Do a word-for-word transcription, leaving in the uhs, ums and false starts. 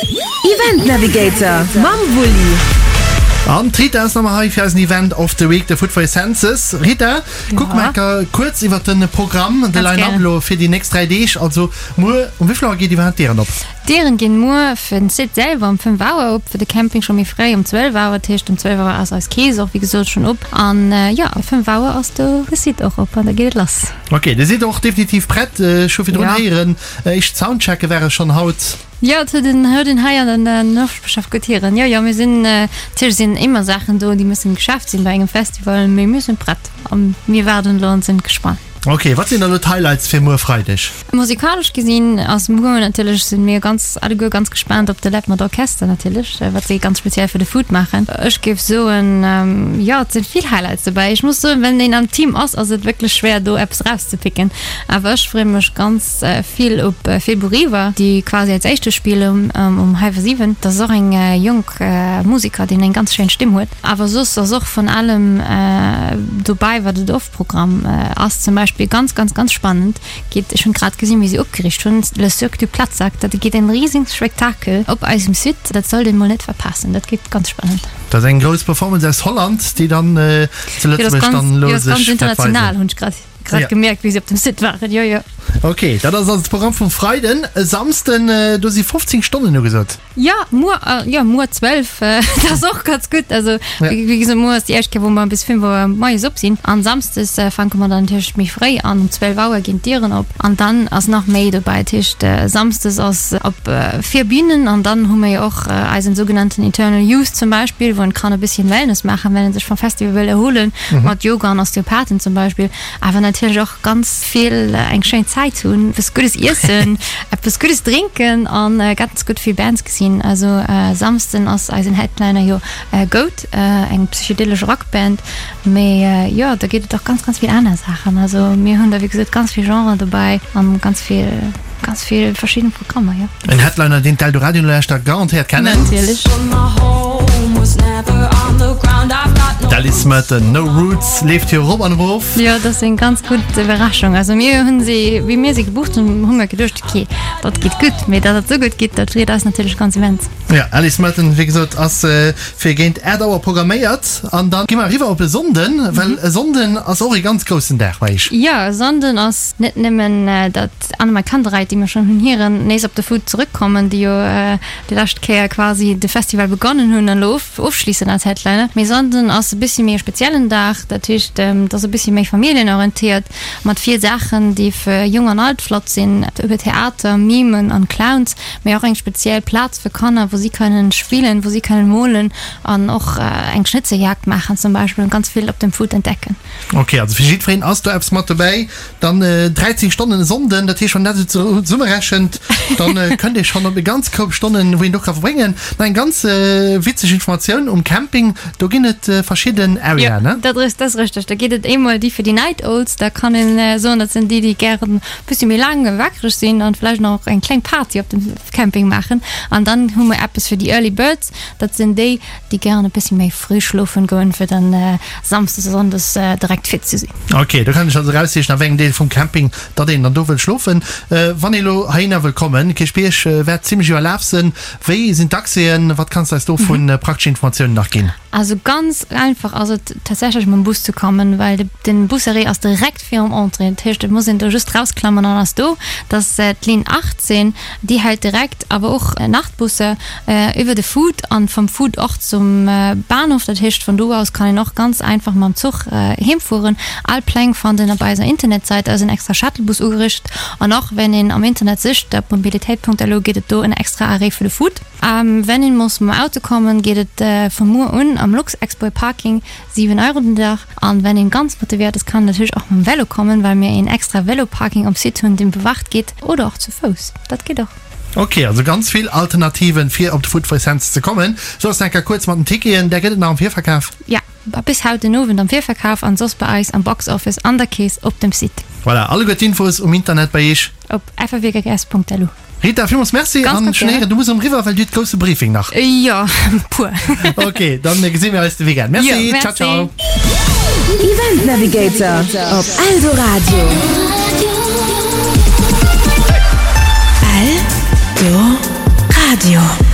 Event Navigator mam Wulli. An d'Rita ass nach mol hei fir eisen Event of the Week, de Food for Your Senses. Rita, kuck mol enker kuerz iwwert de Programm, de Line-Up elo fir déi nächst dräi Deeg. Also muer, um wéi vill Auer geet iwwerhaapt d'Dieren op? D'Dieren ginn muer fir den Site selwer um fënnef Auer op, fir de Camping scho méi fréi um zwielef Auer. Dat heescht um zwielef Auer ass eis Kees och wéi gesot schonn op an jo, um fënnef Auer ass do de Site och op an da geet et lass. Ok, dir sidd och definitiv prett. Ech hu virdrun héieren, éischt Soundchecke ware schonn haut. Jo, et huet een huet een hei an den Noperschaft gutt hieren. Jo, jo, mir sinn, natierlech sinn ëmmer Saachen do, déi mussen geschaaft sinn bei engem Festival, mee mir sinn prett a mir waarden elo an sinn gespannt. Ok, wat sinn da lo d'Highlights fir muer Freideg? Musikalesch gesinn ass muer natierlech, sinn mir ganz alleguer ganz gespaant op de Läb mat Orchester natierlech, wat si ganz speziell fir de Food maachen. Ech géif soen, jo et sinn vill Highlights dobäi. Ech muss soen, wenn een am Team ass, ass et wierklech schwéier do eppes erauszepicken. Awer ech freeë mech ganz vill op Febo Riva, déi quasi als éischte spillen um hallwer siwen. Dat ass och eng jonk Museker, deen eng ganz schéin Stimm huet. Awer soss ass och vun allem dobäi, wat et oft. Programm ass zum Beispill ganz ganz ganz spannend geet, ech hunn grad gesinn wéi si opgeriicht hunn, Le Cirque du Platzsack, dat geet en riesing Spektakel op eisem Site, dat sollt een mol net verpassen, dat geet ganz spannend. Dat ass eng grouss Performance aus Holland, déi dann zu Lëtzebuerg dann elo sech wäert weisen. Jo, dat ass ganz international, hunn ech grad grad gemierkt wéi si op dem Site waren, jo jo. Ok, dat ass also de Programm vum Freiden. E Samsden, do si fofzéng Stonnen ugesot. Jo, muer, jo, muer zwölf, dat ass och ganz gutt. Also, wéi gesot, muer ass déi éischt Kéier, wou mer bis fünf Auer moies op sinn. An samsdes fänke mer dann natierlech méi fréi an, um zwölf Auer ginn d'Dieren op. An dann ass nach méi dobäi. Dat heescht, samsdes ass op vier Bünen an dann hu mer jo och eisen sougenannten Eternal Youth zum Beispill, wou en kann e bësschen Wellness maachen, wenn en sech vum Festival wëll erhuelen, mat Yoga an Osteopathen zum Beispill. Awer natierlech och ganz vill eng schéin Zäit hunn, eppes Guddes iessen, eppes Guddes drénken an ganz gutt vill Bands gesinn. Also Samsden ass eisen Headliner jo Goat, eng psychedelesch Rockband, mee jo da geet et och ganz ganz vill aner Saachen. Also mir hunn da wéi gesot ganz vill Genren dobäi an ganz vill ganz vill verschidden Programmer, jo. En Headliner deen d'Eldoradio-Nolauschterer garantéiert kennen. Natierlech. D'Alice Merton, No Roots leeft jo erop an erof. Jo, dat ass eng ganz gutt Iwwerraschung. Also mir hunn si, wéi mir si gebucht hunn, hu mir geduecht, okay, dat geet gutt. Mee datt et esou gutt geet, dat freet eis natierlech ganz immens. Jo, Alice Merton, wéi gesot, ass fir géint aacht Auer programméiert. An da gi mer eriwwer op e Sonnden, well e Sonnden ass och e ganz groussen Dag bei iech. Jo, e Sonnden ass net nëmmen, datt AnnenMayKantereit, déi mir schonn hunn hiren, nees op de Food zerëckkommen, déi jo déi lescht Kéier quasi de Festival begonnen hunn an elo ofschliessen als Headliner. Mee Sonnden ass e bëssi méi e speziellen Dag, dat heescht et ass e bëssi méi familljenorientéiert mat vill Saachen déi fir Jong an Alt flott sinn, iwwer Theater, Mimen an Clowns, mee och eng speziell Plaz fir Kanner wou si kënnen spillen, wou si kënnen molen an och eng Schnitzeljagd maachen zum Beispill an ganz vill op dem Food entdecken. Ok, also fir jiddwereen ass do eppes mat dobäi. Dann dräizéng Stonnen e Sonnden, dat heescht wann een dat esou zesummerechent, dann kënnt ee schonn op e ganz Koup Stonnen, wou een do ka verbréngen. Nach eng ganz witzeg Informatioun, um Camping, do ginn et verschidden Areaen, ne? Jo, dat ass, dat ass richteg. Da geet et eemol déi fir déi Night Owls, da kann een soen, dat sinn déi, déi gären e bëssi méi laang wakereg sinn an vläicht nach eng kleng Party op dem Camping maachen. An dann hu mer eppes fir déi Early Birds, dat sinn déi, déi gären e bëssi méi fréi schlofen goen, fir dann Samsdes a Sonndes direkt fit ze sinn. Ok, do kann ech also eraussichen, a wéi engem Deel vum Camping datt een dann do wëll schlofen. Wann ee lo heihinner wëll kommen, Kierchbierg wäert zimmlech iwwerlaf sënn. Wéi sinn d'Accèsen? Wat kanns de eis do vu prakteschen Informatiounen nach ginn? Also ganz einfach ass et tatsächlech mam Bus ze kommen, well den Busarrêt ass direkt virum Entrée. Dat heescht, et muss een do just rausklammen an ass do. Dat ass d'Linn achtzehn, déi hält direkt, awer och Nachtbusse iwwer de Food an vum Food och zum Bahnhof. Dat heescht, vun do aus kann een och ganz einfach mam Zuch heem fueren. All Pläng fannt een op eiser Internetsäit, eisen extra Shuttlebus ugericht. An och wenn een am Internet sicht op mobilitéit Punkt lu geet et do en extra Arrêt fir de Food. Wenn een muss mam Auto kommen, geet et vu muer un am Luxexpo Parking, siwen Euro den Dag. An wenn een ganz motivéiert ass, kann en natierlech och mam Velo kommen, well mir een extra Velo-Parking am Site hunn, deen bewacht geet, oder och zu Fouss, dat geet och. Ok, also ganz vill Alternativen fir op de Food for Sense ze kommen. Soss enker kuerz mat den Ticketen, där gëtt et nach am Virverkaf? Ja, bis haut den Owend am Virverkaf an soss bei eis am Box Office an der Kees op dem Site. Voilà, alleguer d'Infos um Internet bei iech. Op ffwggs.lu. Rita, villmools Merci an schon héieren, du muss erëm riwwer, well du huet grousse Briefing nach. Jo, puer. Ok, dann gesi mir eis de Weekend. Merci, ciao ciao. Event Navigator op Eldoradio. Eldoradio.